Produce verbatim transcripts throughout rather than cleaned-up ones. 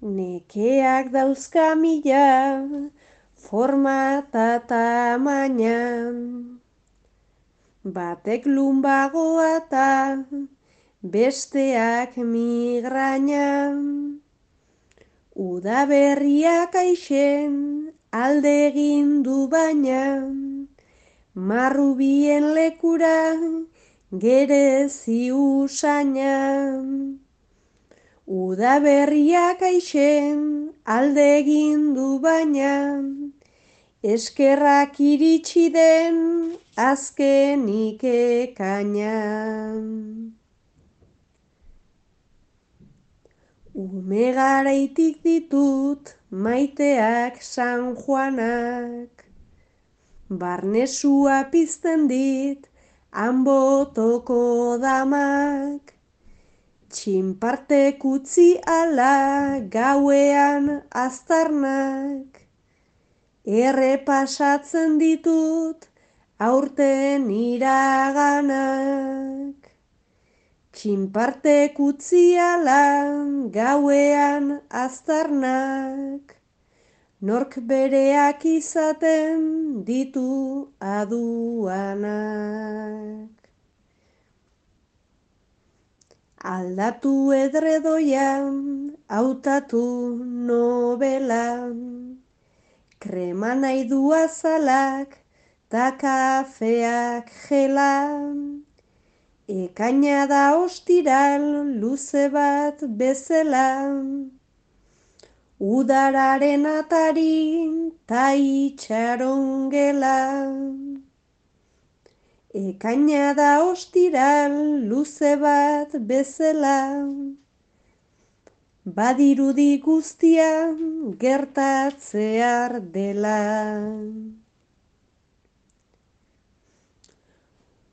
Nekeak dauzka mila, forma eta tamaina. Batek lumbagoa eta besteak migraina. Udaberriak aixen alde egin du baina, marrubien lekura gerezi usaina. Udaberriak aixen alde egin du baina, eskerrak iritsi den azkenik ekaina. Ume garaitik ditut maiteak San Juanak, barnesua pizten dit hanbotoko damak, txinpartek utzi ala gauean aztarnak, errepasatzen ditut aurten iraganak. Txinpartek utzi ala gauean aztarnak, nork bereak izaten ditu aduanak. Aldatu edredoian, hautatu nobelan, krema nahi du azalak, ta kafeak gelan. Ekaina da ostiral luze bat bezala, udararen atarin ta itxaron gela. Ekaina da ostiral luze bat bezala, badirudi guztia gertatzear dela.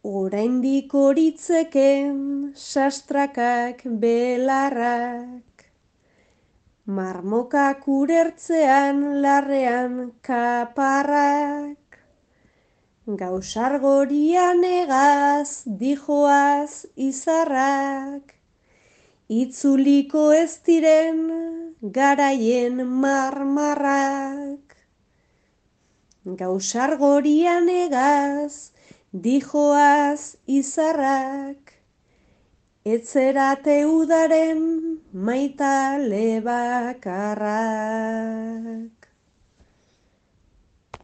Oraindik horitzeken sastrakak belarrak, marmokak urertzean larrean kaparrak, gausargorian egaz dijoaz izarrak, itzuliko ez diren garaien marmarrak. Gausargorian egaz dijoaz izarrak, etzerate udaren maitale bakarrak.